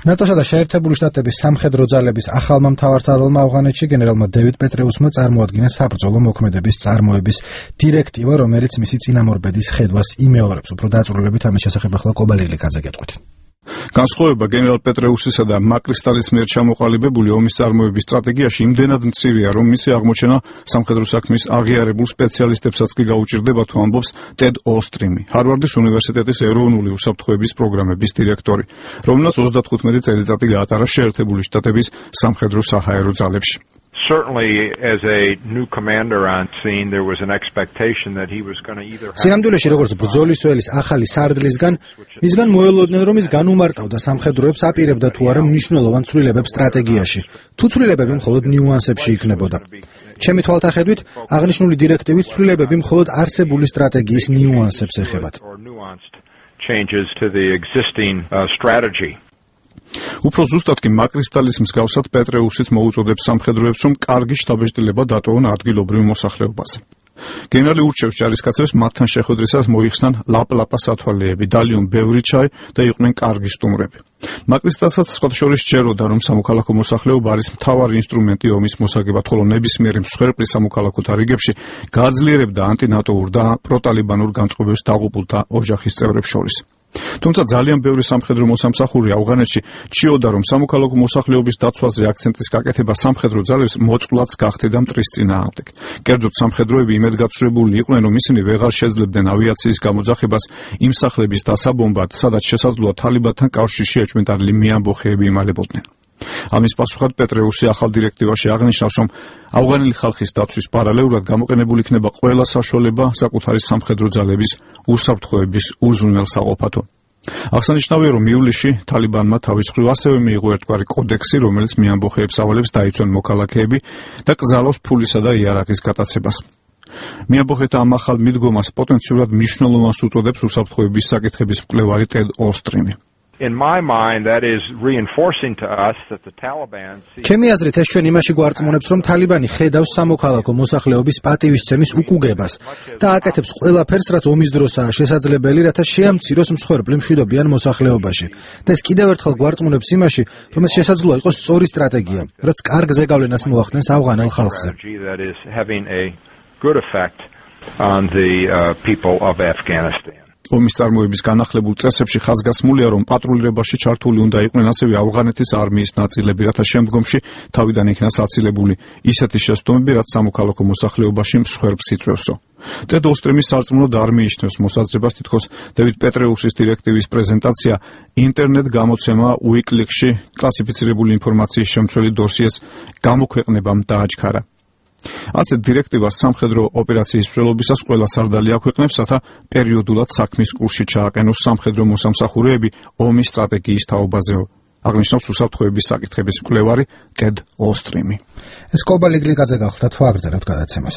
ნატოსა და შეერთებული შტატების სამხედრო ძალების ახალმა მთავარსარდალმა ავღანეთში გენერალმა დევიდ პეტრეუსმა წარმოადგინა საბრძოლო მოქმედების წარმოების დირექტივა, რომელიც მისი წინამორბედის ხედვას იმეორებს. უფრო დაწვრილებით ამის შესახებ ახლა კობალილიკაძე გეტყვით. განსხვავება გენერალ პეტრეუსისა და მაკრისტალის მიერ ჩამოყალიბებული ომის წარმოების სტრატეგიაში იმდენად მცირეა, რომ მისი აღმოჩენა სამხედრო საქმის აღიარებულ სპეციალისტებსაც კი გაუჭირდება, თუ ამბობს ტედ ოლსტრიმი, ჰარვარდის უნივერსიტეტის ეროვნული უსაფრთხოების პროგრამების დირექტორი, რომელსაც 35 წელიწადი გაატარა შეერთებული შტატების სამხედრო საჰაერო ძალებში. Certainly, as a new commander on scene, there was an expectation that he was going to either. სინამდვილეში, როგორც ბრძოლის ველის ახალი სარდლისგან, მისგან მოელოდნენ, რომ ის განუმარტავდა სამხედროებს, აპირებდა თუ არა მნიშვნელოვან ცვლილებებს სტრატეგიაში. თუ ცვლილებები მხოლოდ ნიუანსებში იქნებოდა. ჩემი თვალთახედვით, აღნიშნული დირექტივით ცვლილებები მხოლოდ არსებული სტრატეგიის ნიუანსებს ეხებათ. Changes to the existing strategy. უფრო ზუსტად კი მაკრისტალის მსგავსად პეტრეუსიც მოუწოდებს სამხედროებს, რომ კარგი შტაბ-ბიჭდილება დატოვონ ადგილობრივ მოსახლეობაზე. გენერალი ურჩევს ჯარისკაცებს მათთან შეხვედრისას მოიხსნან ლაპლაპა სათვალეები, დალიონ ბევრი ჩაი და იყვნენ კარგი სტუმრები. მაკრისტალსაც სხვათა შორის სჯეროდა, რომ სამოქალაქო მოსახლეობა არის მთავარი ინსტრუმენტი ომის მოსაგებად, ხოლო ნებისმიერი მსხვერპლი სამოქალაქო თარიგებში გააძლიერებდა ანტინატოურ და პროტალიბანურ განწყობებს დაღუპულთა ოჯახის წევრებს შორის. თუმცა ძალიან ბევრი სამხედრო მოსამსახური ავღანეთში ჭიოდა, რომ სამოქალაქო მოსახლეობის დაცვაზე აქცენტის გაკეთება სამხედრო ძალებს მოწყვლადს გახდიდა მტრის წინააღმდეგ. კერძოდ სამხედროები იმედგაცრუებული იყვნენ, რომ ისინი ვეღარ შეძლებდნენ ავიაციის გამოძახებას იმ სახლების დასაბომბად, სადაც შესაძლოა თალიბანთან კავშირში ეჭვმიტანილი მეამბოხეები იმალებოდნენ. ამის პასუხად პეტრეუსი ახალ დირექტივაში აღნიშნავს, რომ ავღანელი ხალხის დაცვის პარალელურად გამოყენებული იქნება ყველა საშუალება საკუთარი სამხედრო ძალების უსაფრთხოების უზრუნველსაყოფათო. აღსანიშნავია, რომ ივლისში თალიბანმა თავის მხრივ ასევე მიიღო ერთგვარი კოდექსი, რომელიც მეამბოხეებს ავალებს დაიცვან მოქალაქეები და კრძალავს ფულისა და იარაღის გატაცებას. მეამბოხეთა ამ ახალ მიდგომას პოტენციურად მნიშვნელოვანს უწოდებს უსაფრთხოების საკითხების მკვლევარი ტედ ოლსტრიმი. In my mind, that is reinforcing to us that the Taliban. ჩემი აზრით, ეს ჩვენ იმაში გვარწმუნებს, რომ თალიბანი ხედავს სამოქალაქო მოსახლეობის პატივისცემის უკუგებას და აკეთებს ყველაფერს, რაც ომის დროსაა შესაძლებელი, რათა შეამციროს მსხვერპლი მშვიდობიან მოსახლეობაში. და ეს კიდევ ერთხელ გვარწმუნებს იმაში, რომ ეს შესაძლოა იყოს სწორი სტრატეგია, რაც კარგ ზეგავლენას მოახდენს ავღანელ ხალხზე. That is having a good effect on the people of Afghanistan. ომის წარმოების განახლებულ წესებში ხაზგასმულია, რომ პატრულირებაში ჩართული უნდა იყვნენ ასევე ავღანეთის არმიის ნაწილები, რათა შემდგომში თავიდან იქნას აცილებული ისეთი შეცდომები, რაც სამოქალაქო მოსახლეობაში მსხვერპლს იწვევსო. ტედ ოლსტრიმის სარწმუნოდ არ მიიჩნევს მოსაზრებას, თითქოს დევიდ პეტრეუსის დირექტივის პრეზენტაცია ინტერნეტ გამოცემა უიკლიკსში კლასიფიცირებული ინფორმაციის შემცველი დოსიეს გამოქვეყნებამ დააჩქარა. ასეთ დირექტივას სამხედრო ოპერაციის მსვლელობისას ყველა სარდალი აქვეყნებს, რათა პერიოდულად საქმის კურსში ჩააყენოს სამხედრო მოსამსახურეები ომის სტრატეგიის თაობაზეო. აღნიშნავს უსაფრთხოების საკითხების მკვლევარი ტედ ოლსტრიმი. ეს კობალილიკაძე გახლდათ, ვაგრძელებთ გადაცემას.